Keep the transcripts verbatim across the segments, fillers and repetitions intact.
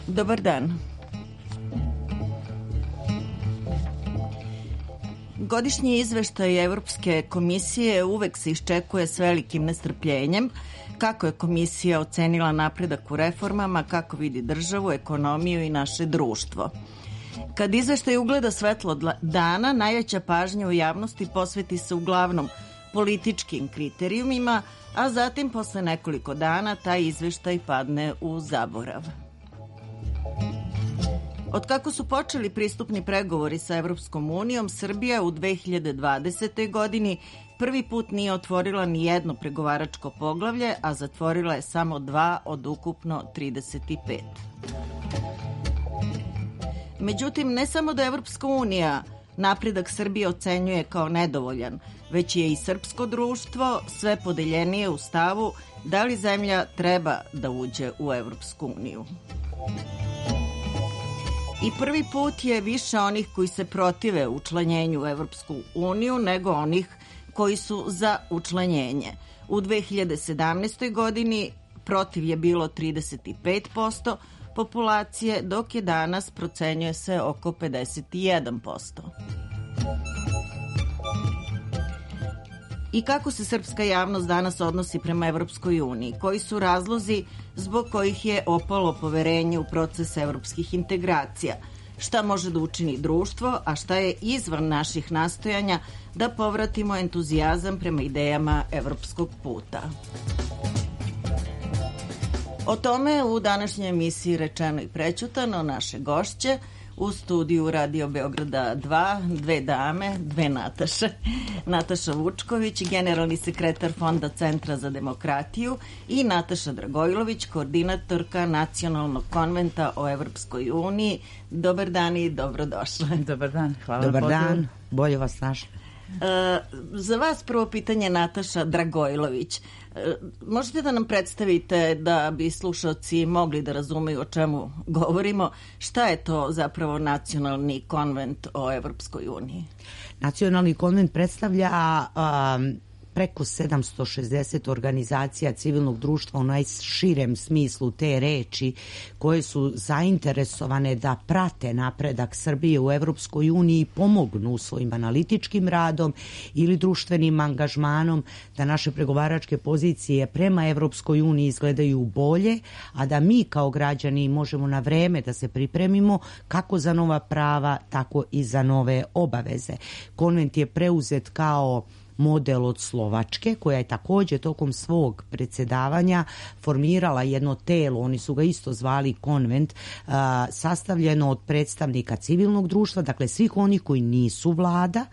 Dobar dan. Godišnji izveštaj Evropske komisije uvek se iščekuje s velikim nestrpljenjem. Kako je komisija ocenila napredak u reformama, kako vidi državu, ekonomiju i naše društvo. Kad izveštaj ugleda svetlo dana, najveća pažnja u javnosti posveti se uglavnom političkim kriterijumima, a zatim posle nekoliko dana taj izveštaj padne u zaborav. Od kako su počeli pristupni pregovori sa Evropskom unijom, Srbija u dve hiljade dvadesetoj. godini prvi put nije otvorila ni jedno pregovaračko poglavlje, a zatvorila je samo dva od ukupno trideset pet. Međutim, ne samo da Evropska unija napredak Srbije ocenjuje kao nedovoljan, već je i srpsko društvo sve podeljenije u stavu da li zemlja treba da uđe u Evropsku uniju. I prvi put je više onih koji se protive učlanjenju u Evropsku uniju nego onih koji su za učlanjenje. U dve hiljade sedamnaestoj. godini protiv je bilo trideset pet posto populacije, dok je danas procenjuje se oko pedeset jedan posto. I kako se srpska javnost danas odnosi prema Evropskoj uniji? Koji su razlozi zbog kojih je opalo poverenje u proces evropskih integracija? Šta može da učini društvo, a šta je izvan naših nastojanja da povratimo entuzijazam prema idejama evropskog puta? O tome u današnjoj emisiji Rečeno i prećutano naše gošće. U studiju Radio Beograda dva, dve dame, dve Nataše. Nataša Vučković, generalni sekretar Fonda Centra za demokratiju, i Nataša Dragojlović, koordinatorka Nacionalnog konventa o Evropskoj uniji. Dobar dan i dobrodošle. Dobar dan, hvala. Dobar dan, bolje vas našli. E, za vas prvo pitanje, Nataša Dragojlović. E, možete da nam predstavite, da bi slušalci mogli da razumeju o čemu govorimo, šta je to zapravo Nacionalni konvent o Evropskoj uniji? Nacionalni konvent predstavlja um, preko sedamsto šezdeset organizacija civilnog društva u najširem smislu te reči, koje su zainteresovane da prate napredak Srbije u Evropskoj uniji i pomognu svojim analitičkim radom ili društvenim angažmanom da naše pregovaračke pozicije prema Evropskoj uniji izgledaju bolje, a da mi kao građani možemo na vreme da se pripremimo kako za nova prava, tako i za nove obaveze. Konvent je preuzet kao model od Slovačke, koja je također tokom svog predsjedavanja formirala jedno telo, oni su ga isto zvali konvent, sastavljeno od predstavnika civilnog društva, dakle svih onih koji nisu vlada,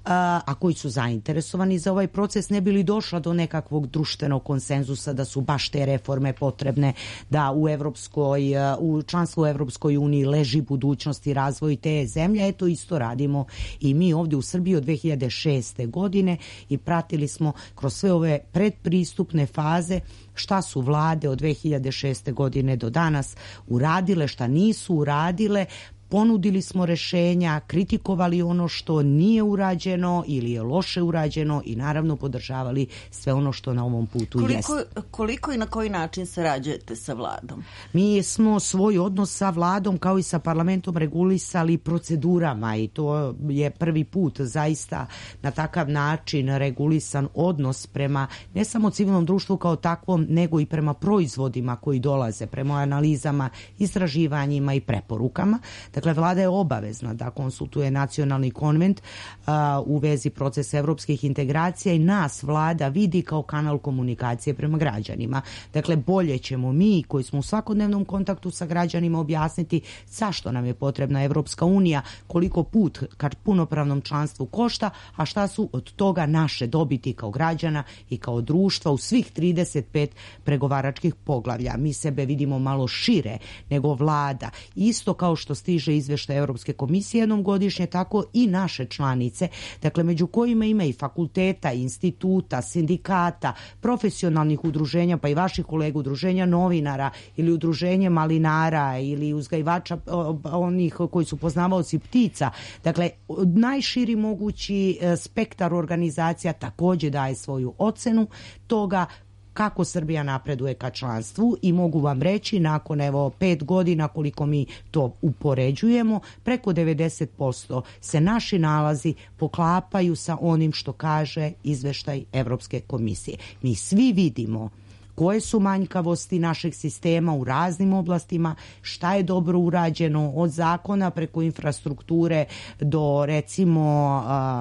a koji su zainteresovani za ovaj proces, ne bi li došla do nekakvog društvenog konsenzusa da su baš te reforme potrebne, da u Evropskoj, u članstvu u Evropskoj uniji leži budućnost i razvoj te zemlje. Eto, isto radimo i mi ovdje u Srbiji od dve hiljade šeste. godine i pratili smo kroz sve ove predpristupne faze šta su vlade od dve hiljade šeste. godine do danas uradile, šta nisu uradile. Ponudili smo rešenja, kritikovali ono što nije urađeno ili je loše urađeno i naravno podržavali sve ono što na ovom putu koliko, jest. Koliko i na koji način sarađujete sa vladom? Mi smo svoj odnos sa vladom kao i sa parlamentom regulisali procedurama i to je prvi put zaista na takav način regulisan odnos prema ne samo civilnom društvu kao takvom, nego i prema proizvodima koji dolaze, prema analizama, istraživanjima i preporukama. Dakle, vlada je obavezna da konsultuje Nacionalni konvent a, u vezi procesa evropskih integracija i nas vlada vidi kao kanal komunikacije prema građanima. Dakle, bolje ćemo mi koji smo u svakodnevnom kontaktu sa građanima objasniti zašto nam je potrebna Evropska unija, koliko put ka punopravnom članstvu košta, a šta su od toga naše dobiti kao građana i kao društva u svih trideset pet pregovaračkih poglavlja. Mi sebe vidimo malo šire nego vlada. Isto kao što stiže stiže izveštaj Evropske komisije jednom godišnje, tako i naše članice, dakle među kojima ima i fakulteta, instituta, sindikata, profesionalnih udruženja, pa i vaših kolega, udruženja novinara ili udruženje malinara ili uzgajivača onih koji su poznavaoci ptica. Dakle, najširi mogući spektar organizacija takođe daje svoju ocenu toga kako Srbija napreduje ka članstvu i mogu vam reći, nakon evo pet godina koliko mi to upoređujemo, preko devedeset posto se naši nalazi poklapaju sa onim što kaže izveštaj Evropske komisije. Mi svi vidimo koje su manjkavosti našeg sistema u raznim oblastima, šta je dobro urađeno od zakona preko infrastrukture do recimo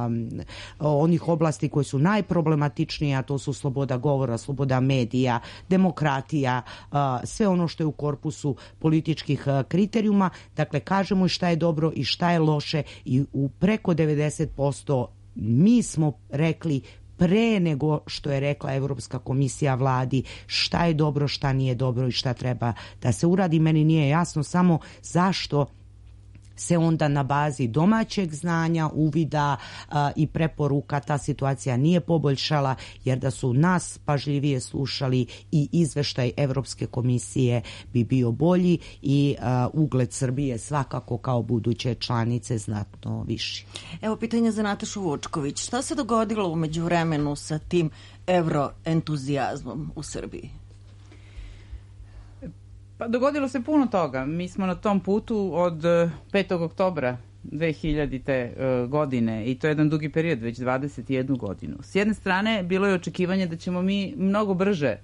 um, onih oblasti koje su najproblematičnije, a to su sloboda govora, sloboda medija, demokratija, uh, sve ono što je u korpusu političkih uh, kriterijuma. Dakle, kažemo i šta je dobro i šta je loše i u preko devedeset posto mi smo rekli pre nego što je rekla Evropska komisija vladi šta je dobro, šta nije dobro i šta treba da se uradi. Meni nije jasno samo zašto se onda na bazi domaćeg znanja, uvida a, i preporuka ta situacija nije poboljšala, jer da su nas pažljivije slušali i izveštaj Evropske komisije bi bio bolji i a, ugled Srbije svakako kao buduće članice znatno viši. Evo pitanje za Natašu Vučković. Šta se dogodilo u međuvremenu sa tim evroentuzijazmom u Srbiji? Pa dogodilo se puno toga. Mi smo na tom putu od petog oktobra dve hiljadite. godine i to je jedan dugi period, već dvadeset jednu godinu. S jedne strane, bilo je očekivanje da ćemo mi mnogo brže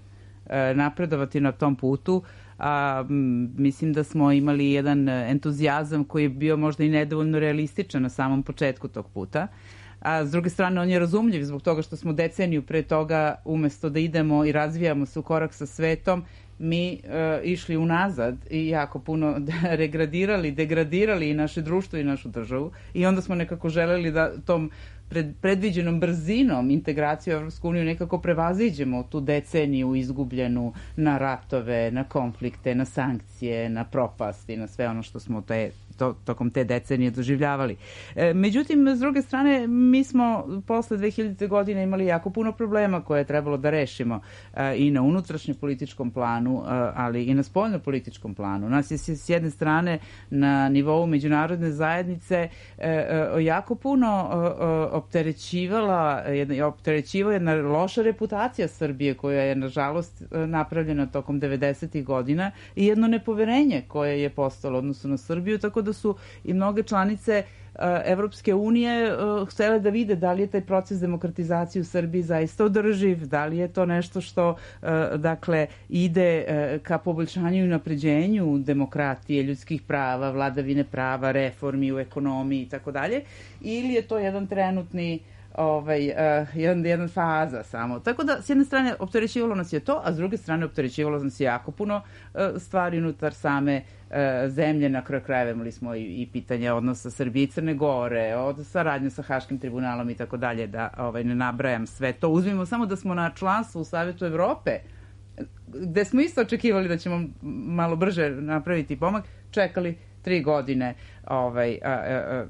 napredovati na tom putu, a mislim da smo imali jedan entuzijazam koji je bio možda i nedovoljno realističan na samom početku tog puta. A s druge strane, on je razumljiv zbog toga što smo deceniju pre toga, umesto da idemo i razvijamo se u korak sa svetom, mi uh, išli unazad i jako puno regradirali, degradirali i naše društvo i našu državu i onda smo nekako želeli da tom pred, predviđenom brzinom integraciju u Evropsku uniju nekako prevaziđemo tu deceniju izgubljenu na ratove, na konflikte, na sankcije, na propast i na sve ono što smo te To, tokom te decenije doživljavali. E, međutim, s druge strane, mi smo posle dve hiljadite. godine imali jako puno problema koje je trebalo da rešimo e, i na unutrašnjem političkom planu, e, ali i na spoljno političkom planu. Nas je s jedne strane na nivou međunarodne zajednice e, e, jako puno e, opterećivala, jedna, opterećivala jedna loša reputacija Srbije koja je, nažalost, napravljena tokom devedesetih. godina i jedno nepoverenje koje je postalo odnosno na Srbiju, tako da su i mnoge članice uh, Evropske unije uh, htjele da vide da li je taj proces demokratizacije u Srbiji zaista održiv, da li je to nešto što uh, dakle ide uh, ka poboljšanju i napređenju demokratije, ljudskih prava, vladavine prava, reformi u ekonomiji i tako dalje, ili je to jedan trenutni ovaj, uh, jedan, jedan faza samo. Tako da, s jedne strane, opterećivalo nas je to, a s druge strane, opterećivalo nas je jako puno uh, stvari unutar same uh, zemlje. Na kraju krajeva imali smo i, i pitanje odnosa Srbije i Crne Gore, od saradnje sa Haškim tribunalom i tako dalje, da ovaj, ne nabrajam sve to. Uzmimo samo da smo na članstvu u Savetu Evrope, gde smo isto očekivali da ćemo malo brže napraviti pomak, čekali tri godine, ovaj, a, a,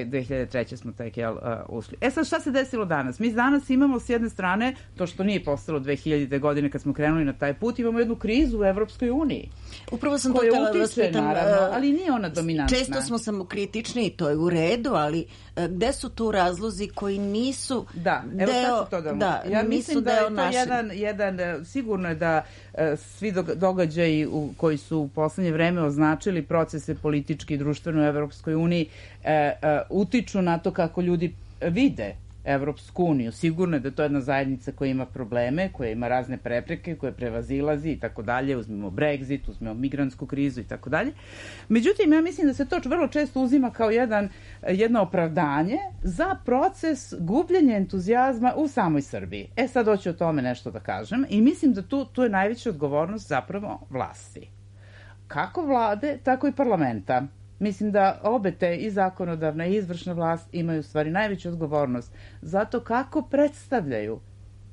dve hiljade treće. smo tek jel, a, ušli. E sad, šta se desilo danas? Mi danas imamo s jedne strane, to što nije postalo dve hiljadite. godine kad smo krenuli na taj put, imamo jednu krizu u Evropskoj uniji. Upravo sam to htjela da vas pitam, ali nije ona dominantna. Često smo samokritični i to je u redu, ali gde su tu razlozi koji nisu da, evo deo, sad ću to da, da ja mislim da je to naše... jedan, jedan, sigurno je da svi događaji u, koji su u poslednje vreme označili procese politički i društveno u Evropskoj uniji e, e, utiču na to kako ljudi vide Evropsku uniju. Sigurno je da to je jedna zajednica koja ima probleme, koja ima razne prepreke, koje prevazilazi i tako dalje. Uzmemo Brexit, uzmemo migrantsku krizu i tako dalje. Međutim, ja mislim da se to vrlo često uzima kao jedan, jedno opravdanje za proces gubljenja entuzijazma u samoj Srbiji. E sad hoću o tome nešto da kažem i mislim da tu, tu je najveća odgovornost zapravo vlasti. Kako vlade, tako i parlamenta. Mislim da obe te, i zakonodavna i izvršna vlast, imaju u stvari najveću odgovornost za to kako predstavljaju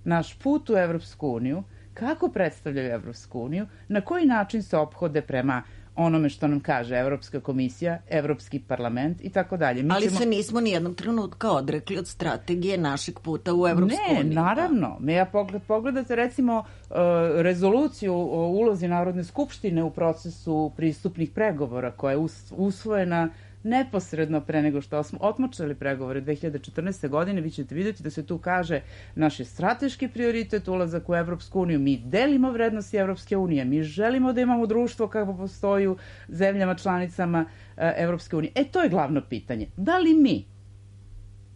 naš put u Evropsku uniju, kako predstavljaju Evropsku uniju, na koji način se ophode prema onome što nam kaže Evropska komisija, Evropski parlament i tako dalje. Ali ćemo... se nismo ni jednog trenutka odrekli od strategije našeg puta u Evropsku uniju. Ne, naravno. Me ja pogled, pogledate recimo uh, rezoluciju o ulozi Narodne skupštine u procesu pristupnih pregovora koja je us, usvojena neposredno pre nego što smo otmočali pregovore dve hiljade četrnaeste. godine, vi ćete vidjeti da se tu kaže naš je strateški prioritet ulazak u Evropsku uniju, mi delimo vrednosti Evropske unije, mi želimo da imamo društvo kako postoji u zemljama članicama Evropske unije. E, to je glavno pitanje. Da li mi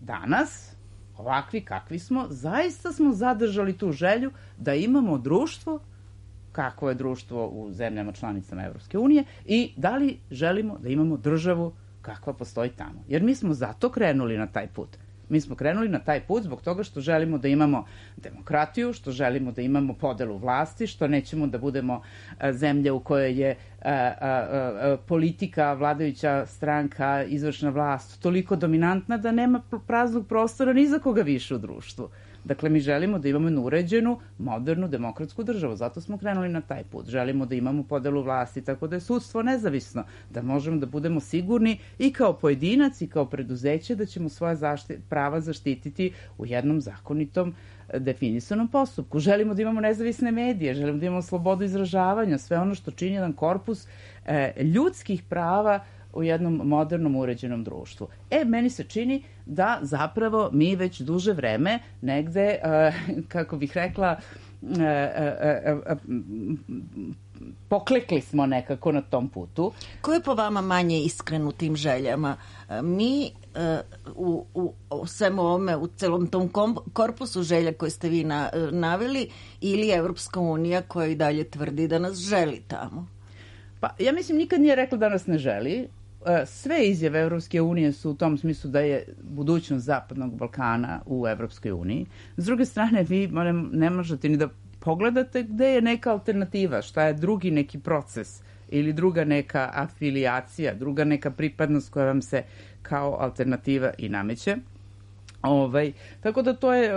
danas, ovakvi kakvi smo, zaista smo zadržali tu želju da imamo društvo kakvo je društvo u zemljama članicama Evropske unije i da li želimo da imamo državu kakva postoji tamo. Jer mi smo zato krenuli na taj put. Mi smo krenuli na taj put zbog toga što želimo da imamo demokratiju, što želimo da imamo podelu vlasti, što nećemo da budemo zemlja u kojoj je a, a, a, politika, vladajuća stranka, izvršna vlast toliko dominantna da nema praznog prostora ni za koga više u društvu. Dakle, mi želimo da imamo uređenu, modernu, demokratsku državu. Zato smo krenuli na taj put. Želimo da imamo podelu vlasti, tako da je sudstvo nezavisno, da možemo da budemo sigurni i kao pojedinac i kao preduzeće da ćemo svoja zašti, prava zaštititi u jednom zakonitom definisanom postupku. Želimo da imamo nezavisne medije, želimo da imamo slobodu izražavanja, sve ono što čini jedan korpus e, ljudskih prava u jednom modernom uređenom društvu. E, meni se čini da zapravo mi već duže vreme negde, uh, kako bih rekla, uh, uh, uh, poklekli smo nekako na tom putu. Ko je po vama manje iskren u tim željama? Mi uh, u, u svemu ovome, u celom tom kom, korpusu želja koje ste vi na, naveli ili Evropska unija koja i dalje tvrdi da nas želi tamo? Pa, ja mislim, nikad nije rekla da nas ne želi. Sve izjave Evropske unije su u tom smislu da je budućnost Zapadnog Balkana u Evropskoj uniji. S druge strane, vi ne možete ni da pogledate gde je neka alternativa, šta je drugi neki proces ili druga neka afilijacija, druga neka pripadnost koja vam se kao alternativa i nameće. Ovaj, tako da to je,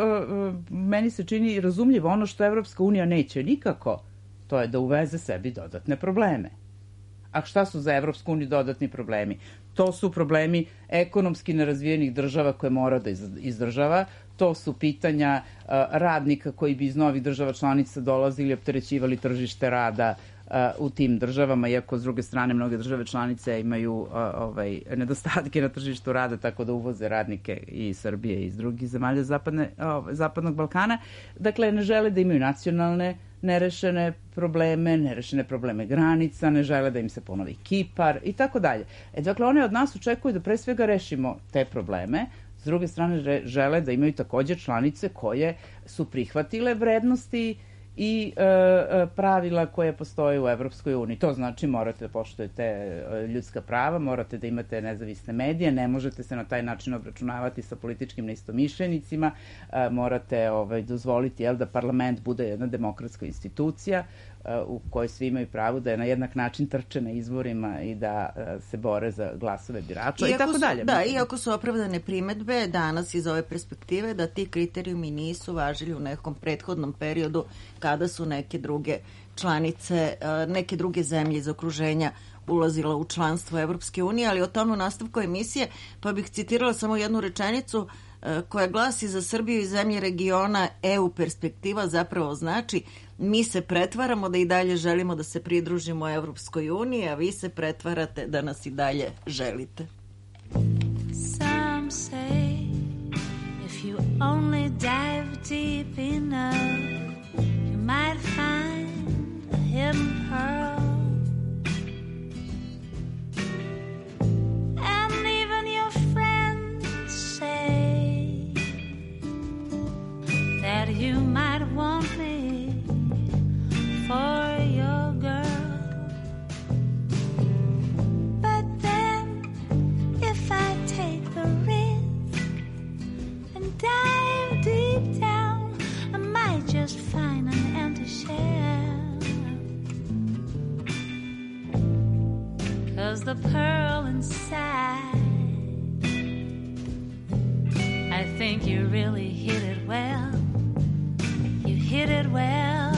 meni se čini razumljivo. Ono što Evropska unija neće nikako, to je da uveze sebi dodatne probleme. A šta su za Evropsku uniju dodatni problemi? To su problemi ekonomski nerazvijenih država koje mora da izdržava, to su pitanja uh, radnika koji bi iz novih država članica dolazili i opterećivali tržište rada uh, u tim državama, iako s druge strane mnoge države članice imaju uh, ovaj, nedostatke na tržištu rada, tako da uvoze radnike i iz Srbije i iz drugih zemalja zapadne, uh, Zapadnog Balkana. Dakle, ne žele da imaju nacionalne nerešene probleme, nerešene probleme granica, ne žele da im se ponovi Kipar i tako dalje. E, dakle, one od nas očekuju da pre svega rešimo te probleme, s druge strane žele da imaju također članice koje su prihvatile vrednosti i e, pravila koje postoje u Evropskoj uniji. To znači morate da poštujete ljudska prava, morate da imate nezavisne medije, ne možete se na taj način obračunavati sa političkim neistomišljenicima, e, morate ovaj, dozvoliti jel, da parlament bude jedna demokratska institucija u kojoj svi imaju pravo da je na jednak način trče na izborima i da se bore za glasove birača i, i tako su, dalje. Da, iako su opravdane primetbe danas iz ove perspektive da ti kriterijumi nisu važili u nekom prethodnom periodu kada su neke druge članice, neke druge zemlje iz okruženja ulazila u članstvo Evropske unije, ali o tome u nastavku emisije, pa bih citirala samo jednu rečenicu koja glasi: za Srbiju i zemlje regiona E U perspektiva zapravo znači mi se pretvaramo da i dalje želimo da se pridružimo Evropskoj uniji, a vi se pretvarate da nas i dalje želite. Some say if you only dive deep enough you might find a hidden pearl. That you might want me for your girl. But then if I take the risk and dive deep down I might just find an empty shell. 'Cause the pearl inside, I think you really hit it well. You hit it well.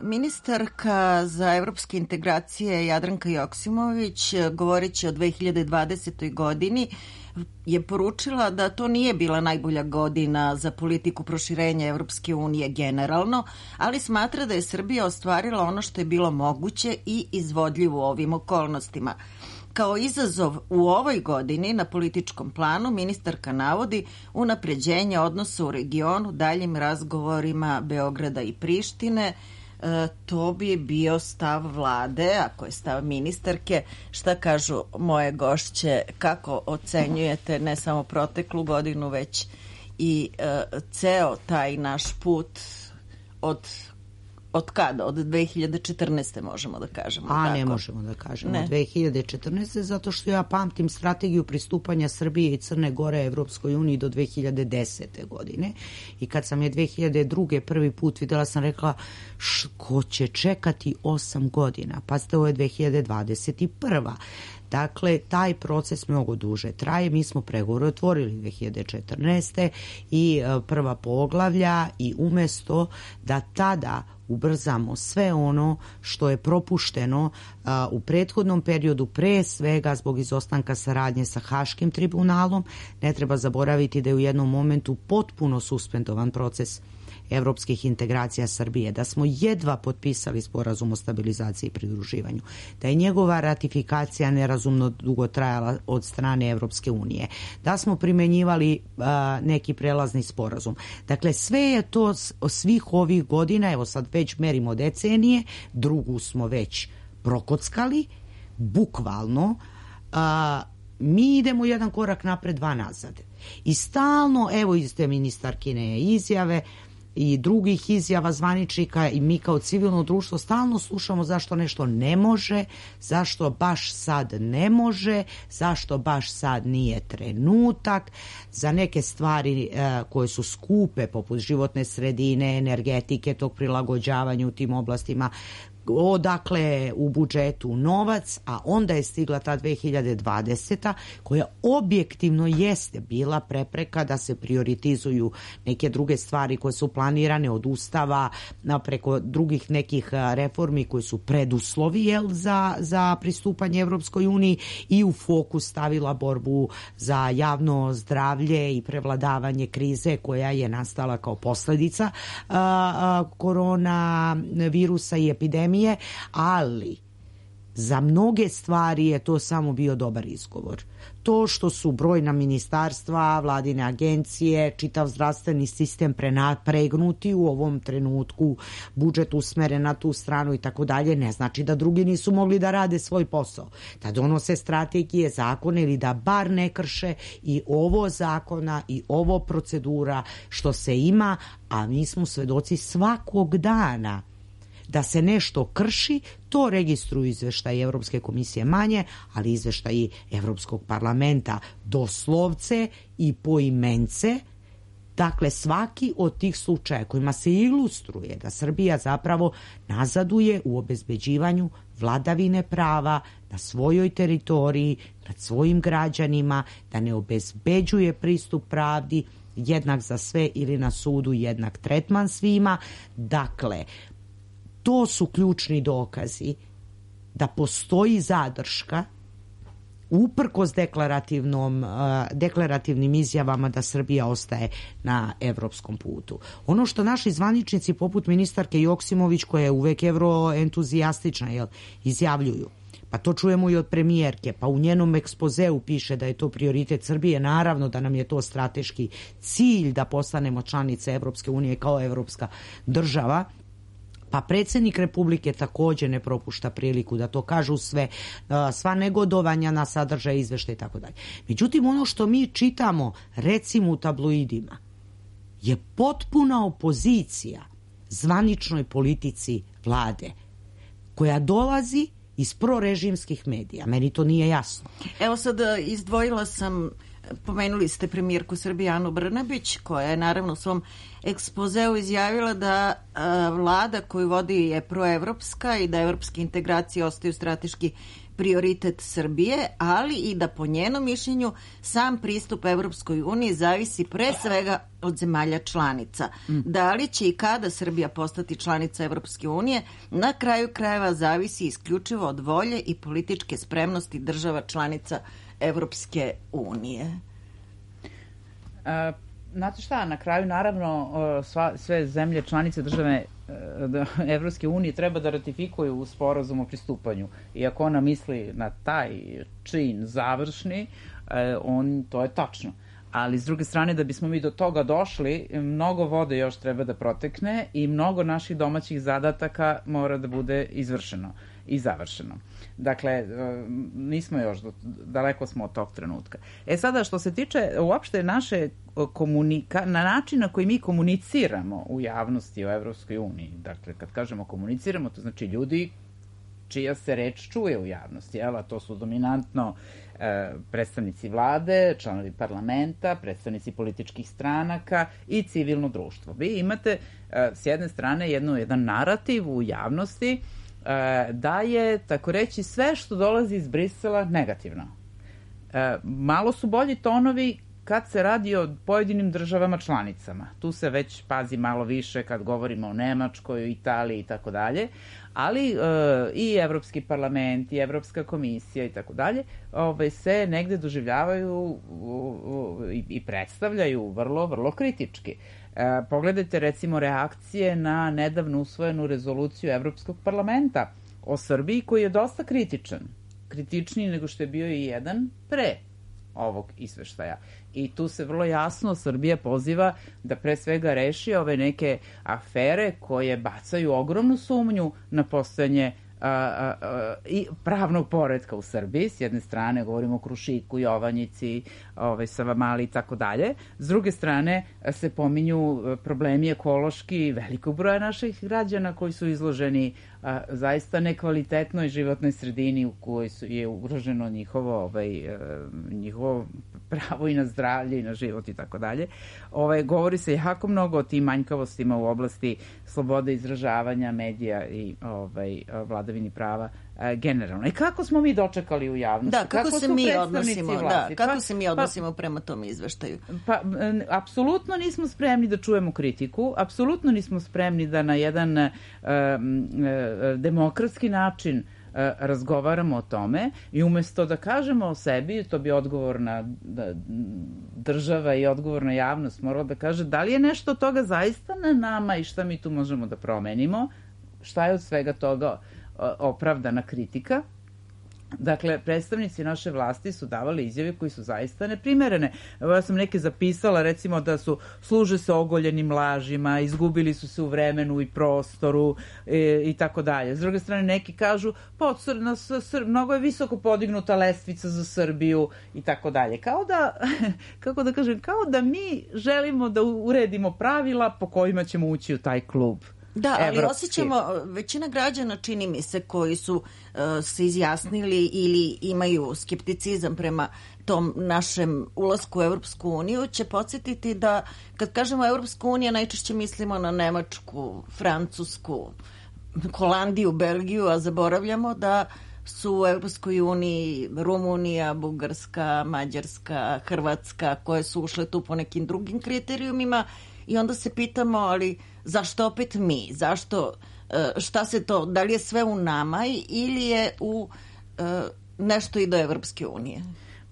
Ministarka za evropske integracije Jadranka Joksimović, govoreći o dve hiljade dvadesetoj. godini, je poručila da to nije bila najbolja godina za politiku proširenja Evropske unije generalno, ali smatra da je Srbija ostvarila ono što je bilo moguće i izvodljivo u ovim okolnostima. Kao izazov u ovoj godini na političkom planu ministarka navodi unapređenje odnosa u regionu daljim razgovorima Beograda i Prištine. E, to bi bio stav vlade, ako je stav ministarke. Šta kažu moje gošće, kako ocenjujete ne samo proteklu godinu, već i e, ceo taj naš put od Od kada? Od dve hiljade četrnaeste. možemo da kažemo. A tako? Ne možemo da kažemo. Ne. dve hiljade četrnaeste. zato što ja pamtim strategiju pristupanja Srbije i Crne Gore Evropskoj uniji do dve hiljade desete. godine. I kad sam je dve hiljade druge. prvi put videla, sam rekla ko će čekati osam godina. Pa ste ovo je dve hiljade dvadeset prva. Dakle, taj proces mnogo duže traje. Mi smo pregovore otvorili dve hiljade četrnaeste. i prva poglavlja i umesto da tada ubrzamo sve ono što je propušteno a, u prethodnom periodu, pre svega zbog izostanka saradnje sa Haškim tribunalom, ne treba zaboraviti da je u jednom momentu potpuno suspendovan proces evropskih integracija Srbije, da smo jedva potpisali sporazum o stabilizaciji i pridruživanju, da je njegova ratifikacija nerazumno dugo trajala od strane Evropske unije, da smo primenjivali a, neki prelazni sporazum. Dakle, sve je to svih ovih godina, evo sad već merimo decenije, drugu smo već prokockali, bukvalno, a, mi idemo jedan korak napred, dva nazad. I stalno, evo iz te ministarkine izjave i drugih izjava zvaničnika i mi kao civilno društvo stalno slušamo zašto nešto ne može, zašto baš sad ne može, zašto baš sad nije trenutak, za neke stvari e, koje su skupe poput životne sredine, energetike, tog prilagođavanja u tim oblastima, odakle u budžetu novac, a onda je stigla ta dve hiljade dvadeseta. koja objektivno jeste bila prepreka da se prioritizuju neke druge stvari koje su planirane od ustava preko drugih nekih reformi koji su preduslovi jel, za, za pristupanje Evropskoj uniji i u fokus stavila borbu za javno zdravlje i prevladavanje krize koja je nastala kao posledica a, a, korona virusa i epidemije. Ali za mnoge stvari je to samo bio dobar izgovor. To što su brojna ministarstva, vladine agencije, čitav zdravstveni sistem pregnuti u ovom trenutku, budžet usmeren na tu stranu i tako dalje, ne znači da drugi nisu mogli da rade svoj posao. Da donose strategije, zakone ili da bar ne krše i ovo zakona i ovo procedura što se ima, a mi smo svedoci svakog dana da se nešto krši, to registruju izveštaji Evropske komisije manje, ali izveštaji Evropskog parlamenta doslovce i poimence. Dakle, svaki od tih slučaja kojima se ilustruje da Srbija zapravo nazaduje u obezbeđivanju vladavine prava na svojoj teritoriji, nad svojim građanima, da ne obezbeđuje pristup pravdi, jednak za sve ili na sudu jednak tretman svima. Dakle, to su ključni dokazi da postoji zadrška uprkos deklarativnom, deklarativnim izjavama da Srbija ostaje na evropskom putu. Ono što naši zvaničnici poput ministarke Joksimović, koja je uvek evroentuzijastična, jel, izjavljuju, pa to čujemo i od premijerke, pa u njenom ekspozeu piše da je to prioritet Srbije, naravno da nam je to strateški cilj da postanemo članice Evropske unije kao evropska država. Pa predsjednik Republike također ne propušta priliku da to kažu sve, sva negodovanja na sadržaj izveštaja i tako dalje. Međutim, ono što mi čitamo, recimo u tabloidima, je potpuna opozicija zvaničnoj politici vlade, koja dolazi iz prorežimskih medija. Meni to nije jasno. Evo sad izdvojila sam, pomenuli ste premijerku Srbije Anu Brnabić, koja je naravno u svom ekspozeu izjavila da a, vlada koju vodi je proevropska i da evropske integracije ostaju strateški prioritet Srbije, ali i da po njenom mišljenju sam pristup Evropskoj uniji zavisi pre svega od zemalja članica. Da li će i kada Srbija postati članica Evropske unije, na kraju krajeva zavisi isključivo od volje i političke spremnosti država članica Evropske unije. A, znate šta, na kraju naravno sva, sve zemlje članice države Evropske unije treba da ratifikuju sporazum o pristupanju. I ako ona misli na taj čin završni, on, to je tačno. Ali s druge strane, da bismo mi do toga došli, mnogo vode još treba da protekne i mnogo naših domaćih zadataka mora da bude izvršeno i završeno. Dakle, nismo još, daleko smo od tog trenutka. E sada, što se tiče uopšte naše komunika, na način na koji mi komuniciramo u javnosti o Evropskoj uniji, dakle, kad kažemo komuniciramo, to znači ljudi čija se reč čuje u javnosti, jel? A to su dominantno e, predstavnici vlade, članovi parlamenta, predstavnici političkih stranaka i civilno društvo. Vi imate e, s jedne strane jednu, jedan narativ u javnosti e, da je, tako reći, sve što dolazi iz Brisela negativno. E, malo su bolji tonovi kad se radi o pojedinim državama članicama. Tu se već pazi malo više kad govorimo o Nemačkoj, o Italiji i tako dalje, ali e, i Evropski parlament i Evropska komisija i tako dalje se negde doživljavaju u, u, i, i predstavljaju vrlo, vrlo kritički. E, pogledajte recimo reakcije na nedavno usvojenu rezoluciju Evropskog parlamenta o Srbiji koji je dosta kritičan. Kritičniji nego što je bio i jedan pre ovog izveštaja. I tu se vrlo jasno Srbija poziva da pre svega reši ove neke afere koje bacaju ogromnu sumnju na postojanje a, a, a, i pravnog poretka u Srbiji. S jedne strane govorimo o Krušiku, Jovanjici, ovaj, Savamali i tako dalje. S druge strane se pominju problemi ekološki velikog broja naših građana koji su izloženi a, zaista nekvalitetnoj životnoj sredini u kojoj su, je ugroženo njihovo, ovaj, njihovo pravo i na zdravlje i na život i tako dalje. Ovaj, govori se jako mnogo o tim manjkavostima u oblasti slobode izražavanja, medija i ovaj, vladavini prava e, generalno. I kako smo mi dočekali u javnosti? Da, kako, kako se mi odnosimo, vlasti? Da, kako pa, se mi odnosimo pa, prema tom izveštaju? Pa, apsolutno nismo spremni da čujemo kritiku, apsolutno nismo spremni da na jedan e, e, demokratski način razgovaramo o tome i umesto da kažemo o sebi, to bi odgovorna država i odgovorna javnost morala da kaže da li je nešto od toga zaista na nama i šta mi tu možemo da promenimo, šta je od svega toga opravdana kritika. Dakle, predstavnici naše vlasti su davali izjave koji su zaista neprimerene. Evo, ja sam neke zapisala, recimo da su služe se ogoljenim lažima, izgubili su se u vremenu i prostoru e, i tako dalje. S druge strane, neki kažu, pa na, Sr, mnogo je visoko podignuta lestvica za Srbiju i tako dalje. Kao da, kako da kažem, kao da mi želimo da uredimo pravila po kojima ćemo ući u taj klub. Da, ali Evropski. Osjećamo, većina građana, čini mi se, koji su uh, se izjasnili ili imaju skepticizam prema tom našem ulasku u Evropsku uniju, će podsjetiti da kad kažemo Evropska unija najčešće mislimo na Nemačku, Francusku, Holandiju, Belgiju, a zaboravljamo da su u Evropskoj uniji Rumunija, Bugarska, Mađarska, Hrvatska, koje su ušle tu po nekim drugim kriterijumima. I onda se pitamo, ali zašto opet mi? Zašto, šta se to, da li je sve u nama ili je u nešto i do Evropske unije?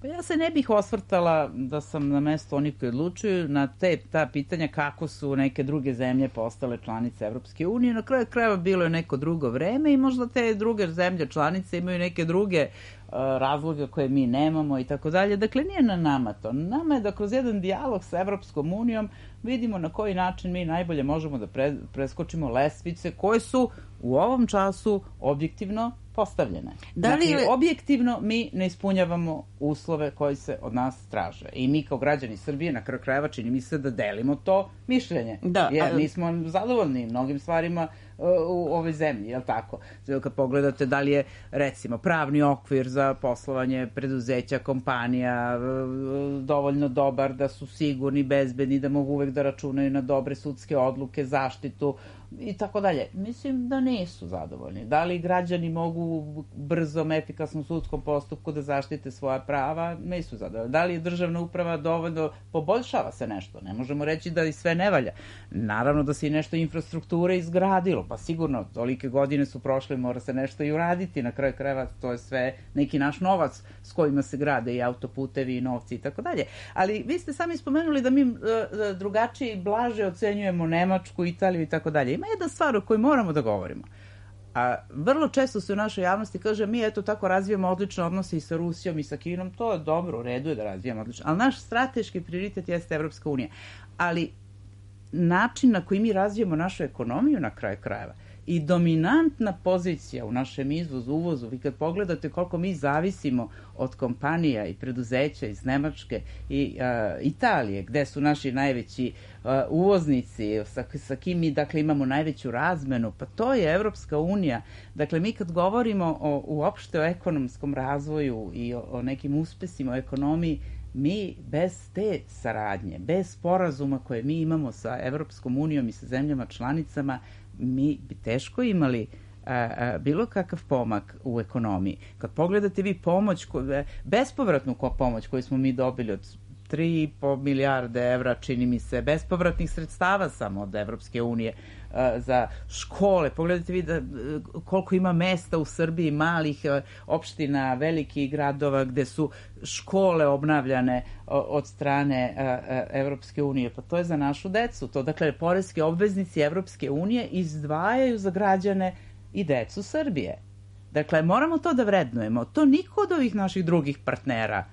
Pa ja se ne bih osvrtala da sam na mesto onih koji odlučuju na te, ta pitanja kako su neke druge zemlje postale članice Evropske unije. Na kraju krajeva bilo je neko drugo vreme i možda te druge zemlje članice imaju neke druge uh, razloge koje mi nemamo i tako dalje. Dakle, nije na nama to. Nama je da kroz jedan dijalog sa Evropskom unijom vidimo na koji način mi najbolje možemo da pre, preskočimo lestvice koje su u ovom času objektivno postavljene. Da li... Znači, objektivno mi ne ispunjavamo uslove koji se od nas traže. I mi kao građani Srbije na kraju krajeva čini mi se da delimo to mišljenje. Da, jer mi smo zadovoljni mnogim stvarima uh, u ovoj zemlji, je li tako? Kad pogledate da li je, recimo, pravni okvir za poslovanje preduzeća, kompanija uh, dovoljno dobar, da su sigurni, bezbedni, da mogu uvek da računaju na dobre sudske odluke, zaštitu i tako dalje. Mislim da nisu zadovoljni. Da li građani mogu u brzom, efikasnom sudskom postupku da zaštite svoja prava? Nisu zadovoljni. Da li državna uprava dovoljno poboljšava se nešto? Ne možemo reći da i sve ne valja. Naravno da se i nešto infrastrukture izgradilo, pa sigurno tolike godine su prošle, mora se nešto i uraditi. Na kraju krajeva to je sve neki naš novac s kojima se grade i autoputevi i novci i tako dalje. Ali vi ste sami spomenuli da mi uh, drugačije i blaže ocenjujemo Nemačku, Italiju i tako dalje. Ima jedna stvar o kojoj moramo da govorimo. A vrlo često se u našoj javnosti kaže mi eto tako razvijamo odlične odnose i sa Rusijom i sa Kinom, to je dobro, u redu je da razvijamo odlično, ali naš strateški prioritet jeste Evropska unija. Ali način na koji mi razvijamo našu ekonomiju na kraju krajeva i dominantna pozicija u našem izvozu, uvozu, vi kad pogledate koliko mi zavisimo od kompanija i preduzeća iz Nemačke i uh, Italije, gde su naši najveći uh, uvoznici, sa, sa kim mi dakle imamo najveću razmenu, pa to je Evropska unija. Dakle, mi kad govorimo o, uopšte o ekonomskom razvoju i o, o nekim uspesima u ekonomiji, mi bez te saradnje, bez sporazuma koje mi imamo sa Evropskom unijom i sa zemljama članicama, mi bi teško imali a, a, bilo kakav pomak u ekonomiji. Kad pogledate vi pomoć, bespovratnu pomoć koju smo mi dobili od tri i po milijarde evra, čini mi se, bespovratnih sredstava samo od Evropske unije a, za škole. Pogledajte vi da, koliko ima mesta u Srbiji, malih a, opština, velikih gradova gde su škole obnavljane od strane a, a, Evropske unije. Pa to je za našu decu. To, dakle, poreski obveznici Evropske unije izdvajaju za građane i decu Srbije. Dakle, moramo to da vrednujemo. To niko od ovih naših drugih partnera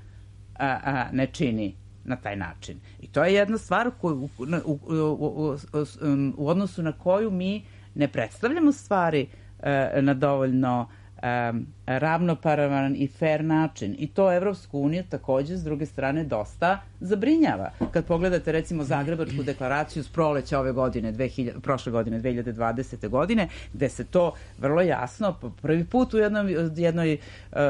a, a, ne čini na taj način. I to je jedna stvar koju, u, u, u, u, u odnosu na koju mi ne predstavljamo stvari e, na dovoljno e, ravnopravan i fair način. I to Evropsku uniju takođe s druge strane dosta zabrinjava. Kad pogledate recimo Zagrebačku deklaraciju s proleća ove godine, dve hiljade, prošle godine, dve hiljade dvadesete. godine, gde se to vrlo jasno, prvi put u jednom, jednoj,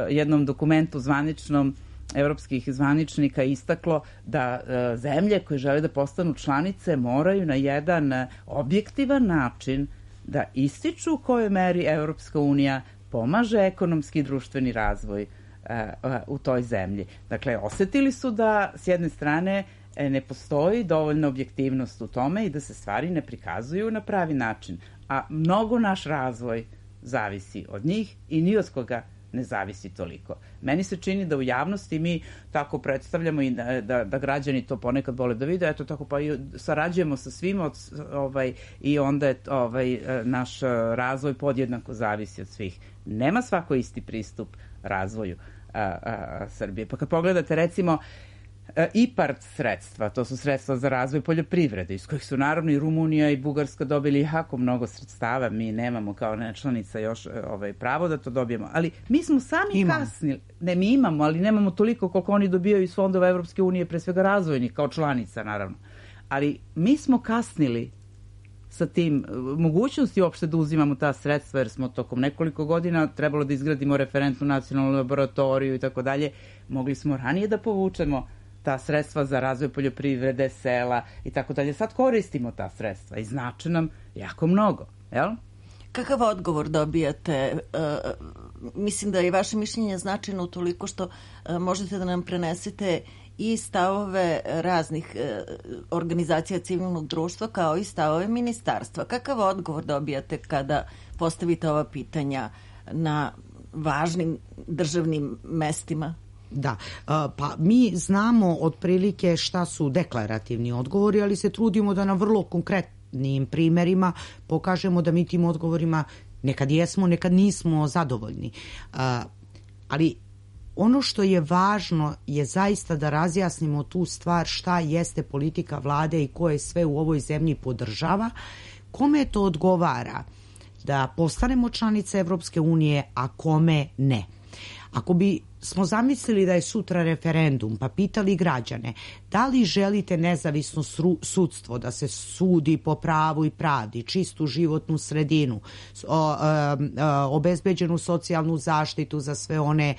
jednom dokumentu zvaničnom evropskih zvaničnika istaklo da e, zemlje koje žele da postanu članice moraju na jedan e, objektivan način da ističu u kojoj meri Evropska unija pomaže ekonomski i društveni razvoj e, e, u toj zemlji. Dakle, osetili su da s jedne strane e, ne postoji dovoljna objektivnost u tome i da se stvari ne prikazuju na pravi način. A mnogo naš razvoj zavisi od njih i ni od koga ne zavisi toliko. Meni se čini da u javnosti mi tako predstavljamo i da, da, da građani to ponekad vole da vide, eto tako pa i sarađujemo sa svima od, ovaj, i onda je ovaj, naš razvoj podjednako zavisi od svih. Nema svako isti pristup razvoju a, a, Srbije. Pa kad pogledate recimo I P A R D sredstva, to su sredstva za razvoj poljoprivrede, iz kojih su naravno i Rumunija i Bugarska dobili jako mnogo sredstava, mi nemamo kao nečlanica još ovaj, pravo da to dobijemo, ali mi smo sami Imam. kasnili, ne mi imamo, ali nemamo toliko koliko oni dobijaju iz fondova Evropske unije, pre svega razvojnih, kao članica naravno, ali mi smo kasnili sa tim mogućnosti uopšte da uzimamo ta sredstva, jer smo tokom nekoliko godina trebalo da izgradimo referentnu nacionalnu laboratoriju i tako dalje, mogli smo ranije da povučemo ta sredstva za razvoj poljoprivrede, sela i tako dalje. Sad koristimo ta sredstva i znače nam jako mnogo, jel? Kakav odgovor dobijate? Uh, mislim da je vaše mišljenje značajno utoliko što uh, možete da nam prenesete i stavove raznih uh, organizacija civilnog društva kao i stavove ministarstva. Kakav odgovor dobijate kada postavite ova pitanja na važnim državnim mestima? Da, pa mi znamo otprilike šta su deklarativni odgovori, ali se trudimo da na vrlo konkretnim primerima pokažemo da mi tim odgovorima nekad jesmo, nekad nismo zadovoljni. Ali ono što je važno je zaista da razjasnimo tu stvar šta jeste politika vlade i ko je sve u ovoj zemlji podržava, kome to odgovara da postanemo članice Evropske unije, a kome ne. Ako bi smo zamislili da je sutra referendum, pa pitali građane da li želite nezavisno sudstvo, da se sudi po pravu i pravdi, čistu životnu sredinu, obezbeđenu socijalnu zaštitu za sve one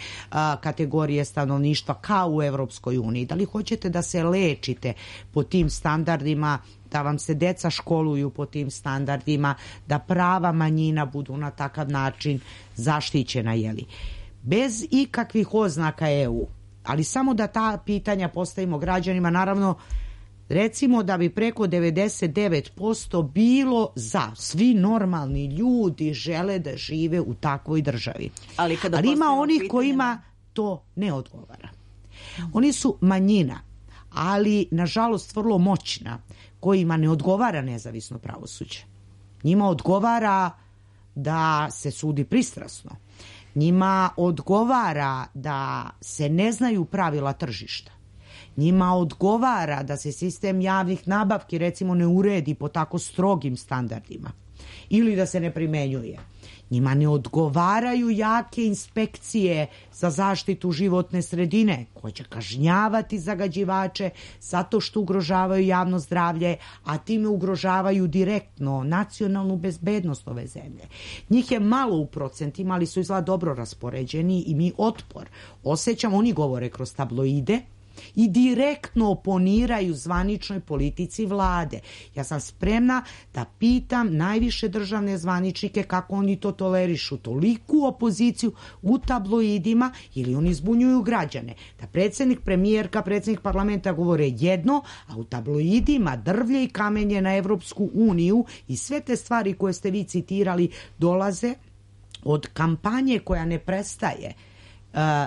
kategorije stanovništva kao u Evropskoj uniji, da li hoćete da se lečite po tim standardima da vam se deca školuju po tim standardima, da prava manjina budu na takav način zaštićena, jeli. Bez ikakvih oznaka E U, ali samo da ta pitanja postavimo građanima, naravno, recimo da bi preko devedeset devet posto bilo za. Svi normalni ljudi žele da žive u takvoj državi. Ali, kada ali ima onih pitanje... kojima to ne odgovara. Oni su manjina, ali nažalost vrlo moćna, kojima ne odgovara nezavisno pravosuđe. Njima odgovara da se sudi pristrasno. Njima odgovara da se ne znaju pravila tržišta. Njima odgovara da se sistem javnih nabavki recimo ne uredi po tako strogim standardima ili da se ne primenjuje. Njima ne odgovaraju jake inspekcije za zaštitu životne sredine koje će kažnjavati zagađivače zato što ugrožavaju javno zdravlje, a time ugrožavaju direktno nacionalnu bezbednost ove zemlje. Njih je malo u procentima, ali su izgleda dobro raspoređeni i mi otpor osjećamo. Oni govore kroz tabloide i direktno oponiraju zvaničnoj politici vlade. Ja sam spremna da pitam najviše državne zvaničnike kako oni to tolerišu, toliku opoziciju u tabloidima, ili oni zbunjuju građane. Da predsjednik, premijerka, predsjednik parlamenta govore jedno, a u tabloidima drvlje i kamenje na Evropsku uniju i sve te stvari koje ste vi citirali dolaze od kampanje koja ne prestaje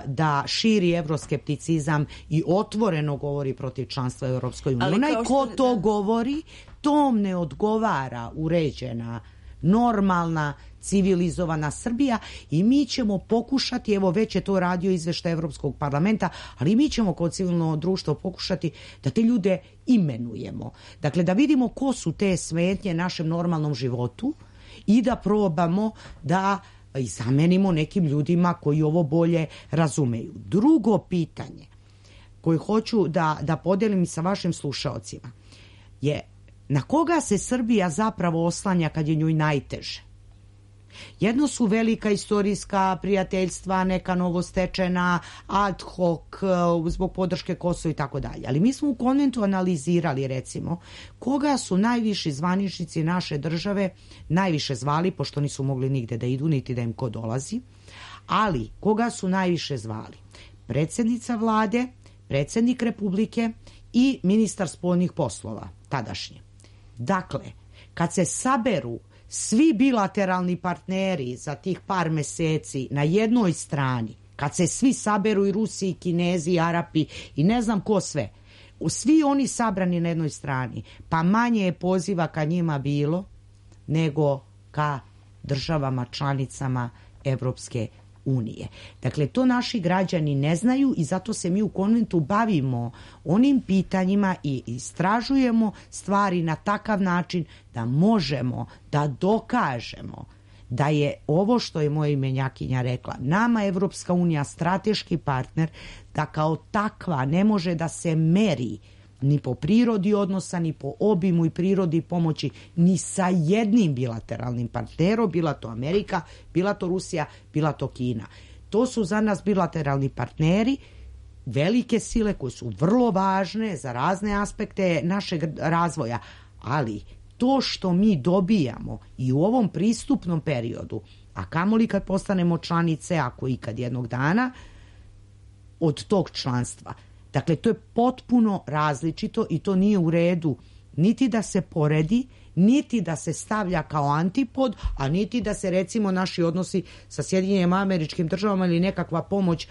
da širi evroskepticizam i otvoreno govori protiv članstva u Europskoj uniji. Onaj ko što... to govori, tom ne odgovara uređena, normalna, civilizovana Srbija i mi ćemo pokušati, evo već je to radio izveštaj Evropskog parlamenta, ali mi ćemo kao civilno društvo pokušati da te ljude imenujemo. Dakle, da vidimo ko su te smetnje našem normalnom životu i da probamo da i zamenimo nekim ljudima koji ovo bolje razumeju. Drugo pitanje koje hoću da, da podelim sa vašim slušaocima je na koga se Srbija zapravo oslanja kad je njoj najteže. Jedno su velika istorijska prijateljstva, neka novostečena, ad hoc, zbog podrške Kosova i tako dalje. Ali mi smo u konventu analizirali, recimo, koga su najviši zvaničnici naše države najviše zvali, pošto nisu mogli nigde da idu, niti da im ko dolazi, ali koga su najviše zvali? Predsjednica vlade, predsjednik Republike i ministar spoljnih poslova, tadašnji. Dakle, kad se saberu svi bilateralni partneri za tih par meseci na jednoj strani, kad se svi saberu i Rusi, i Kinezi, i Arapi i ne znam ko sve, svi oni sabrani na jednoj strani, pa manje je poziva ka njima bilo nego ka državama članicama Evropske unije. Dakle, to naši građani ne znaju i zato se mi u konventu bavimo onim pitanjima i istražujemo stvari na takav način da možemo da dokažemo da je ovo što je moja imenjakinja rekla, nama Evropska unija strateški partner, da kao takva ne može da se meri ni po prirodi odnosa, ni po obimu i prirodi pomoći, ni sa jednim bilateralnim partnerom, bila to Amerika, bila to Rusija, bila to Kina. To su za nas bilateralni partneri, velike sile koje su vrlo važne za razne aspekte našeg razvoja, ali to što mi dobijamo i u ovom pristupnom periodu, a kamoli kad postanemo članice, ako ikad jednog dana, od tog članstva. Dakle, to je potpuno različito i to nije u redu niti da se poredi, niti da se stavlja kao antipod, a niti da se recimo naši odnosi sa Sjedinjenim Američkim Državama ili nekakva pomoć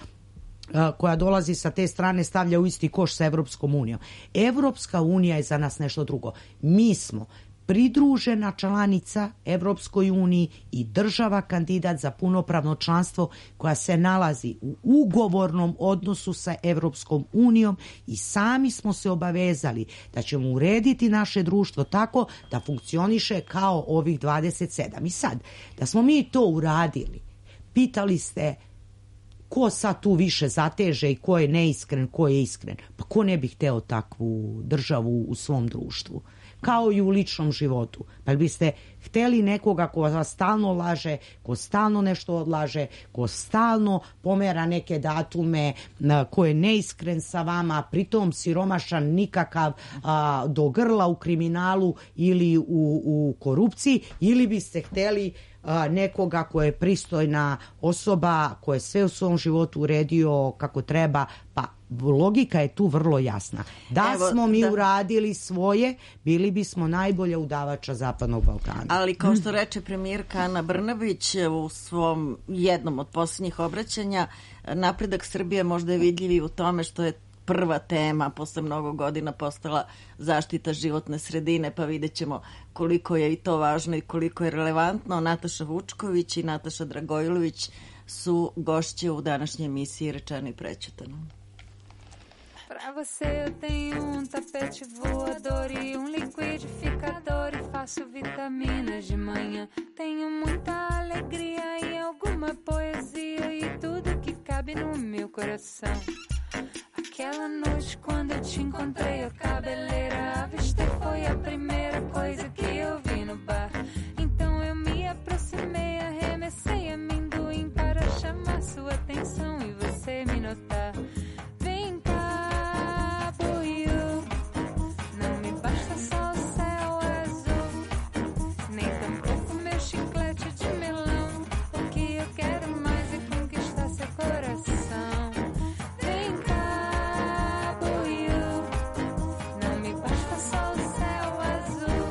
a, koja dolazi sa te strane stavlja u isti koš sa Evropskom unijom. Evropska unija je za nas nešto drugo. Mi smo pridružena članica Evropskoj uniji i država kandidat za punopravno članstvo koja se nalazi u ugovornom odnosu sa Evropskom unijom i sami smo se obavezali da ćemo urediti naše društvo tako da funkcioniše kao ovih dvadeset sedam. I sad, da smo mi to uradili, pitali ste ko sad tu više zateže i ko je neiskren, ko je iskren. Pa ko ne bi hteo takvu državu u svom društvu? Kao i u ličnom životu. Pa biste hteli nekoga ko vas stalno laže, ko stalno nešto odlaže, ko stalno pomera neke datume, ko je neiskren sa vama, pritom siromašan nikakav, a, do grla u kriminalu ili u, u korupciji, ili biste hteli a, nekoga ko je pristojna osoba, ko je sve u svom životu uredio kako treba, pa logika je tu vrlo jasna. Da Evo, smo mi da. uradili svoje, bili bismo najbolja udavača Zapadnog Balkana. Ali kao što reče premijerka Ana Brnabić u svom jednom od posljednjih obraćanja, napredak Srbije možda je vidljiv i u tome što je prva tema posle mnogo godina postala zaštita životne sredine, pa vidjet ćemo koliko je i to važno i koliko je relevantno. Nataša Vučković i Nataša Dragojlović su gošće u današnjoj emisiji Rečeno i prećutano. Pra você eu tenho um tapete voador e um liquidificador e faço vitaminas de manhã. Tenho muita alegria e alguma poesia e tudo que cabe no meu coração. Aquela noite quando eu te encontrei a cabeleira à vista foi a primeira coisa que eu vi no bar. Então eu me aproximei, arremessei amendoim para chamar sua atenção e você me notar. Vem cá, boiô, não me basta só o céu azul, nem tampouco meu chiclete de melão. O que eu quero mais é conquistar seu coração. Vem cá, boiô, não me basta só o céu azul,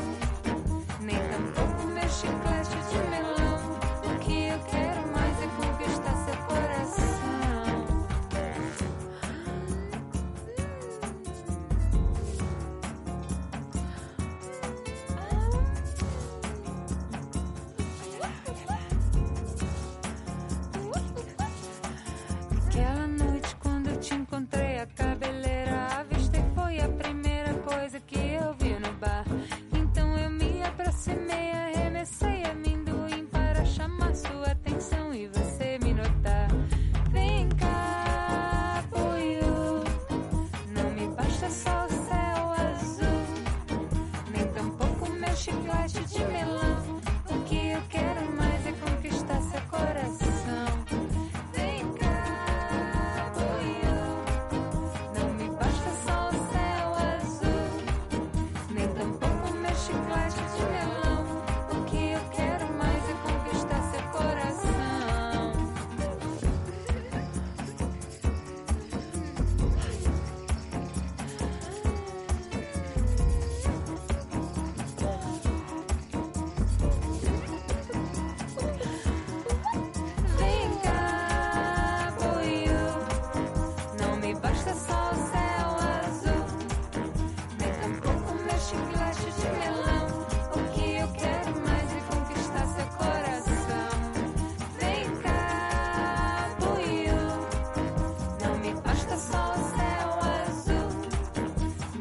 nem tampouco meu chiclete de melão. O que eu quero mais é conquistar seu coração. Aquela noite quando eu te encontrei a cabeleira à vista e foi a primeira coisa que eu vi no bar. Então eu me aproximei, arremessei amendoim para chamar sua atenção e você me notar. Vem cá, boiô, não me basta só o céu azul, nem tampouco meu chiclete de melão. O que eu quero mais é conquistar seu coração. Vem cá, boiô, não me basta só o céu azul, nem tampouco meu chiclete de melão. O que eu quero mais é conquistar seu coração. Vem cá, boiô, não me basta só o céu azul, nem tampouco meu chiclete de melão. O que eu quero mais é conquistar seu coração. Vem cá, boiô, não me basta só o céu azul,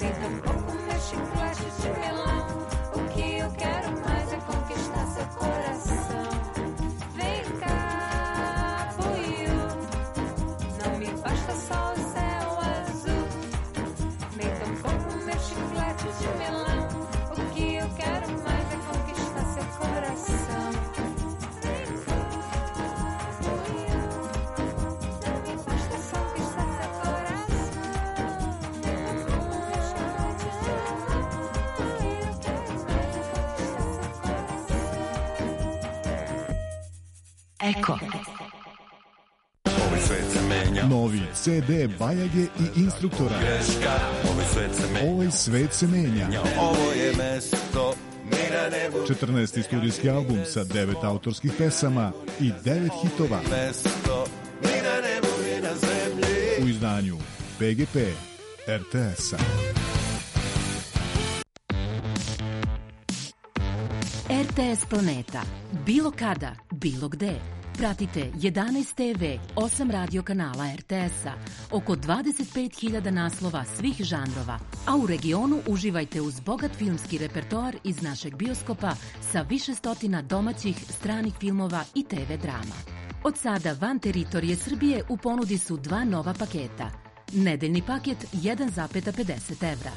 nem tampouco meu chiclete de melão. O que eu quero mais é conquistar seu coração. Vem cá, boiô, não me basta só o céu azul, nem tampouco meu chiclete de melão. O que eu quero mais é conquistar seu coração. Vem cá, boiô, não me basta só conquistar seu coração. Meu chiclete de melão. O que eu quero mais é conquistar seu coração. Eko. Ovaj svet se menja. Novi ce de Bajage i Instruktora. Ovaj svet se menja. Ovaj svet se menja. Ovo je mesto mi na nebu. četrnaesti studijski album sa devet autorskih pesama i devet hitova. Mesto mi na nebu i na zemlji. U izdanju be ge pe er te es-a. er te es Planeta. Bilo kada, bilo gde. Pratite jedanaest te ve, osam radio kanala er te es-a, oko dvadeset pet hiljada naslova svih žanrova, a u regionu uživajte uz bogat filmski repertoar iz našeg bioskopa sa više stotina domaćih, stranih filmova i te ve drama. Od sada van teritorije Srbije u ponudi su dva nova paketa. Nedeljni paket jedan zarez pedeset evra,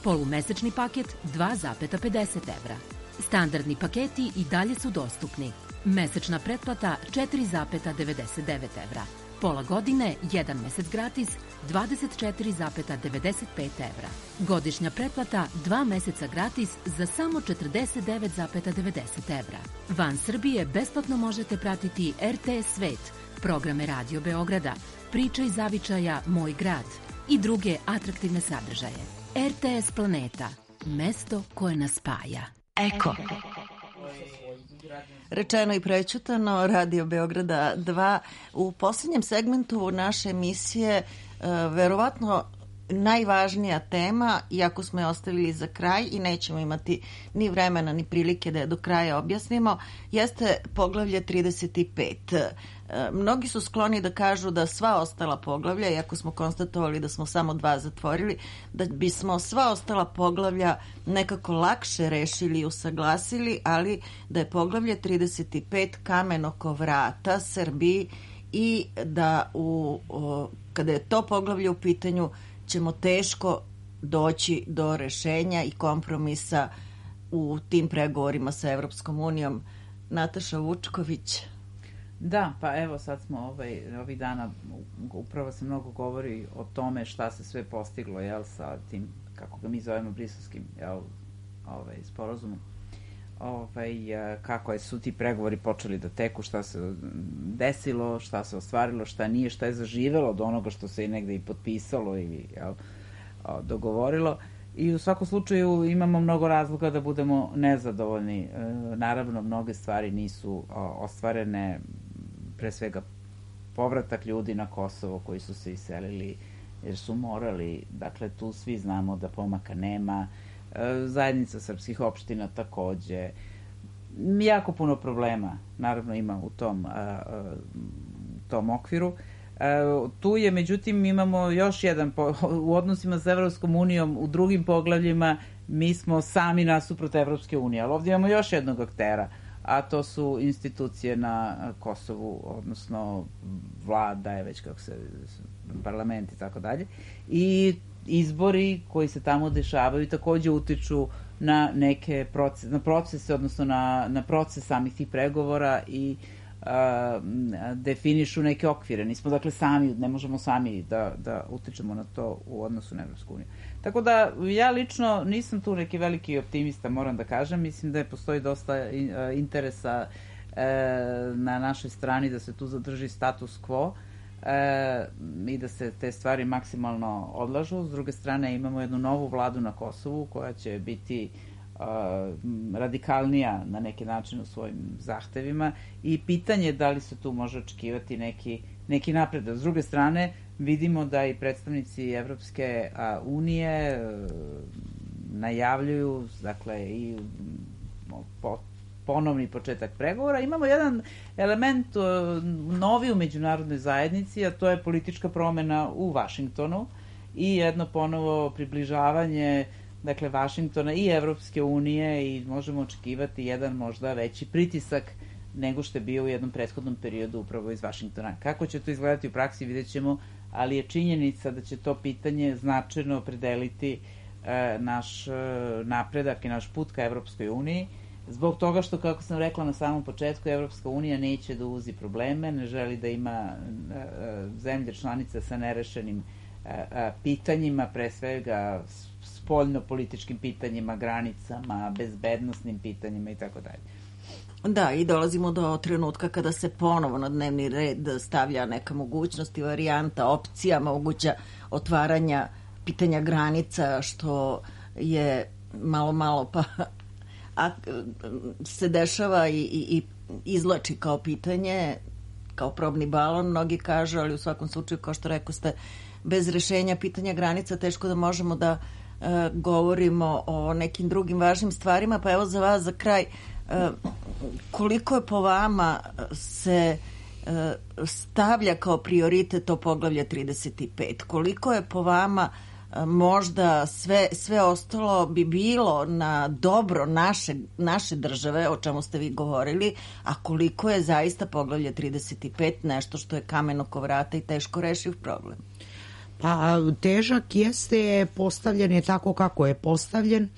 polumesečni paket dva zarez pedeset evra. Standardni paketi i dalje su dostupni. Mesečna pretplata četiri zarez devedeset devet evra. Pola godine, jedan mesec gratis, dvadeset četiri zarez devedeset pet evra. Godišnja pretplata, dva meseca gratis za samo četrdeset devet zarez devedeset evra. Van Srbije besplatno možete pratiti er te es Svet, programe Radio Beograda, Priče iz zavičaja Moj grad i druge atraktivne sadržaje. er te es Planeta, mesto koje nas spaja. Eko. Rečeno i prećutano, Radio Beograda dva. U posljednjem segmentu naše emisije verovatno najvažnija tema, iako smo je ostavili za kraj i nećemo imati ni vremena ni prilike da je do kraja objasnimo, jeste poglavlje trideset pet. Mnogi su skloni da kažu da sva ostala poglavlja, iako smo konstatovali da smo samo dva zatvorili, da bismo sva ostala poglavlja nekako lakše rešili i usaglasili, ali da je poglavlje trideset pet kamen oko vrata Srbiji i da u, o, kada je to poglavlje u pitanju ćemo teško doći do rešenja i kompromisa u tim pregovorima sa Evropskom unijom. Nataša Vučković. Da, pa evo sad smo ovaj, ovih dana, upravo se mnogo govori o tome šta se sve postiglo, jel, sa tim, kako ga mi zovemo, briselskim, jel, ovaj, sporazumom. Ovaj, kako su ti pregovori počeli da teku, šta se desilo, šta se ostvarilo, šta nije, šta je zaživelo od onoga što se i negde i potpisalo ili, jel, dogovorilo. I u svakom slučaju imamo mnogo razloga da budemo nezadovoljni. Naravno, mnoge stvari nisu ostvarene, pre svega povratak ljudi na Kosovo koji su se iselili jer su morali, dakle tu svi znamo da pomaka nema, zajednica srpskih opština takođe, jako puno problema naravno ima u tom, tom okviru. Tu je, međutim, imamo još jedan, u odnosima sa Evropskom unijom, u drugim poglavljima mi smo sami nasuprot Evropske unije, ali ovdje imamo još jednog aktera, a to su institucije na Kosovu, odnosno vlada je već kako se, parlament i tako dalje, i izbori koji se tamo dešavaju takođe utiču na neke procese, na procese, odnosno na, na proces samih tih pregovora i a, definišu neke okvire. Nismo dakle sami, ne možemo sami da, da utičemo na to u odnosu na Evropsku uniju. Tako da ja lično nisam tu neki veliki optimista, moram da kažem. Mislim da je postoji dosta interesa e, na našoj strani da se tu zadrži status quo e, i da se te stvari maksimalno odlažu. S druge strane imamo jednu novu vladu na Kosovu koja će biti radikalnija na neki način u svojim zahtevima i pitanje je da li se tu može očekivati neki, neki napredak. S druge strane, vidimo da i predstavnici Evropske unije najavljuju, dakle, i po, ponovni početak pregovora. Imamo jedan element novi u međunarodnoj zajednici, a to je politička promena u Vašingtonu i jedno ponovo približavanje, dakle, Vašingtona i Evropske unije, i možemo očekivati jedan možda veći pritisak nego što je bio u jednom prethodnom periodu upravo iz Vašingtona. Kako će to izgledati u praksi vidjet ćemo, ali je činjenica da će to pitanje značajno opredeliti e, naš e, napredak i naš put ka Evropskoj uniji, zbog toga što, kako sam rekla na samom početku, Evropska unija neće da uzi probleme, ne želi da ima e, e, zemlje članice sa nerešenim e, e, pitanjima, pre svega spoljno-političkim pitanjima, granicama, bezbednosnim pitanjima i tako dalje. Da, i dolazimo do trenutka kada se ponovo na dnevni red stavlja neka mogućnost i varijanta, opcija moguća otvaranja pitanja granica, što je malo, malo pa a, se dešava i, i, i izlači kao pitanje, kao probni balon, mnogi kažu, ali u svakom slučaju, kao što rekao ste, bez rešenja pitanja granica teško da možemo da e, govorimo o nekim drugim važnim stvarima. Pa evo za vas za kraj, e, koliko je po vama se e, stavlja kao prioritet to poglavlje trideset pet? Koliko je po vama e, možda sve, sve ostalo bi bilo na dobro naše, naše države, o čemu ste vi govorili, a koliko je zaista poglavlje trideset pet nešto što je kamen oko vrata i teško rešiv problem? Pa težak jeste, postavljen je tako kako je postavljen.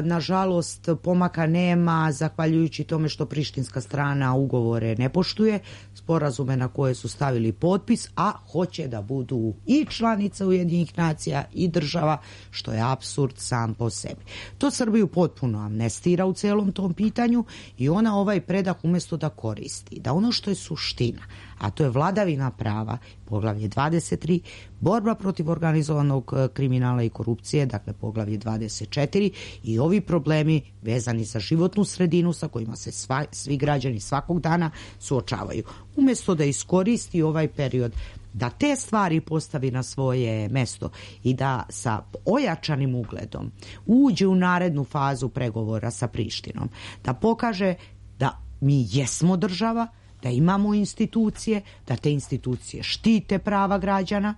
nažalost pomaka nema zahvaljujući tome što prištinska strana ugovore ne poštuje, sporazume na koje su stavili potpis, a hoće da budu i članica Ujedinjenih nacija i država, što je apsurd sam po sebi. To Srbiju potpuno amnestira u celom tom pitanju i ona ovaj predah umjesto da koristi, da ono što je suština, a to je vladavina prava, poglavlje dvadeset tri, borba protiv organizovanog kriminala i korupcije, dakle poglavlje dvadeset četiri, i ovi problemi vezani za životnu sredinu sa kojima se sva, svi građani svakog dana suočavaju. Umjesto da iskoristi ovaj period da te stvari postavi na svoje mesto i da sa ojačanim ugledom uđe u narednu fazu pregovora sa Prištinom, da pokaže da mi jesmo država, da imamo institucije, da te institucije štite prava građana,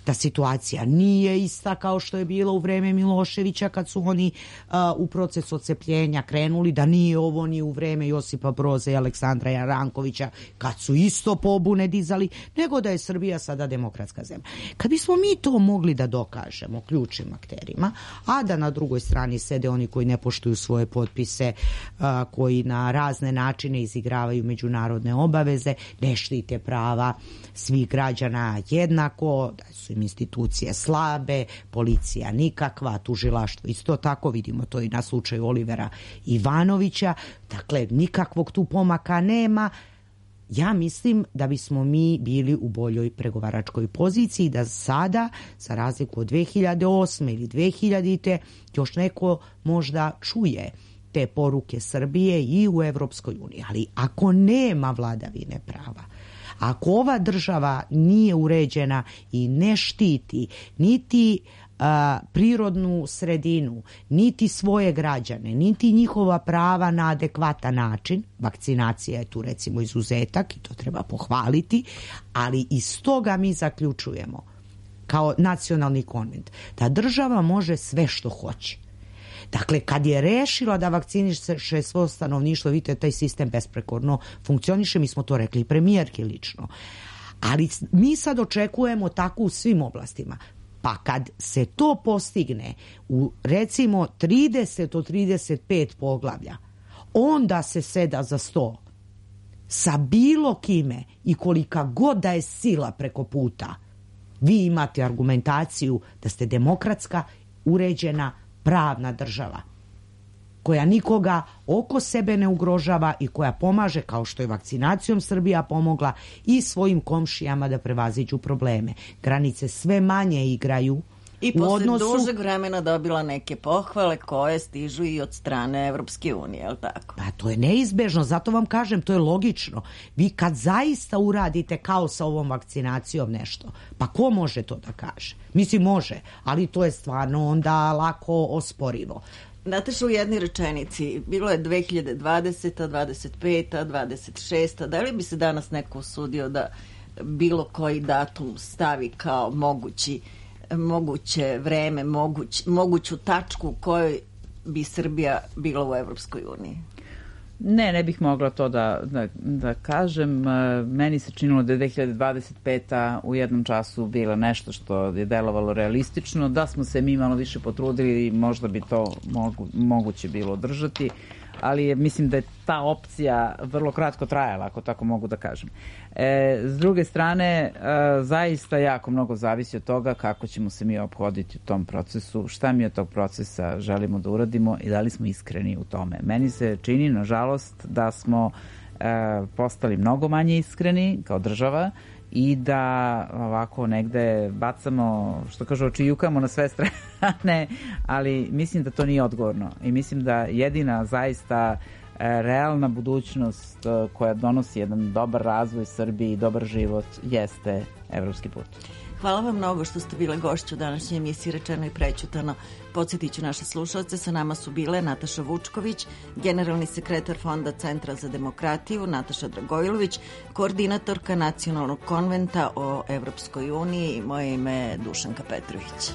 da situacija nije ista kao što je bilo u vreme Miloševića kad su oni uh, u proces odcepljenja krenuli, da nije ovo ni u vreme Josipa Broza i Aleksandra Jarankovića kad su isto pobune dizali, nego da je Srbija sada demokratska zemlja. Kad bismo mi to mogli da dokažemo ključnim akterima, a da na drugoj strani sede oni koji ne poštuju svoje potpise, uh, koji na razne načine izigravaju međunarodne obaveze, ne štite prava svih građana jednako, da su im institucije slabe, policija nikakva, tužilaštvo isto tako, vidimo to i na slučaju Olivera Ivanovića, dakle nikakvog tu pomaka nema. Ja mislim da bismo mi bili u boljoj pregovaračkoj poziciji, da sada, za razliku od dve hiljade osme ili dve hiljadite, još neko možda čuje te poruke Srbije i u Evropskoj uniji. Ali ako nema vladavine prava, ako ova država nije uređena i ne štiti niti a, prirodnu sredinu, niti svoje građane, niti njihova prava na adekvatan način, vakcinacija je tu recimo izuzetak i to treba pohvaliti, ali iz toga mi zaključujemo kao nacionalni konvent da država može sve što hoće. Dakle, kad je rešila da vakciniše svo stanovništvo, vidite, taj sistem besprekorno funkcioniše, mi smo to rekli premijerki lično. Ali mi sad očekujemo tako u svim oblastima. Pa kad se to postigne u recimo trideset od trideset pet poglavlja, onda se seda za sto sa bilo kime i kolika god da je sila preko puta. Vi imate argumentaciju da ste demokratska, uređena, pravna država koja nikoga oko sebe ne ugrožava i koja pomaže, kao što je vakcinacijom Srbija pomogla, i svojim komšijama da prevaziđu probleme. Granice sve manje igraju i u posle odnosu... dužeg vremena dobila neke pohvale koje stižu i od strane Evropske unije, je li tako? Pa to je neizbežno, zato vam kažem, to je logično. Vi kad zaista uradite kao sa ovom vakcinacijom nešto, pa ko može to da kaže? Mislim, može, ali to je stvarno onda lako osporivo. Nataša, u jednoj rečenici, bilo je dve hiljade dvadeseta, dvadeset peta, dvadeset šesta, da li bi se danas neko usudio da bilo koji datum stavi kao mogući moguće vreme, moguć, moguću tačku u kojoj bi Srbija bila u Evropskoj uniji? Ne, ne bih mogla to da, da, da kažem. Meni se činilo da je dve hiljade dvadeset peta u jednom času bila nešto što je delovalo realistično, da smo se mi malo više potrudili, možda bi to mogu, moguće bilo održati, ali je, mislim da je ta opcija vrlo kratko trajala, ako tako mogu da kažem. E, s druge strane, e, zaista jako mnogo zavisi od toga kako ćemo se mi ophoditi u tom procesu, šta mi od tog procesa želimo da uradimo i da li smo iskreni u tome. Meni se čini, nažalost, da smo e, postali mnogo manje iskreni kao država i da ovako negde bacamo, što kažu, očijukamo na sve strane, ali mislim da to nije odgovorno i mislim da jedina zaista realna budućnost koja donosi jedan dobar razvoj Srbiji i dobar život jeste evropski put. Hvala vam mnogo što ste bile gošće u današnjoj emisiji Rečeno i prećutano. Podsjetit ću naše slušalce, sa nama su bile Nataša Vučković, generalni sekretar Fonda Centra za demokratiju, Nataša Dragojlović, koordinatorka Nacionalnog konventa o Evropskoj uniji i moje ime je Dušanka Petrović.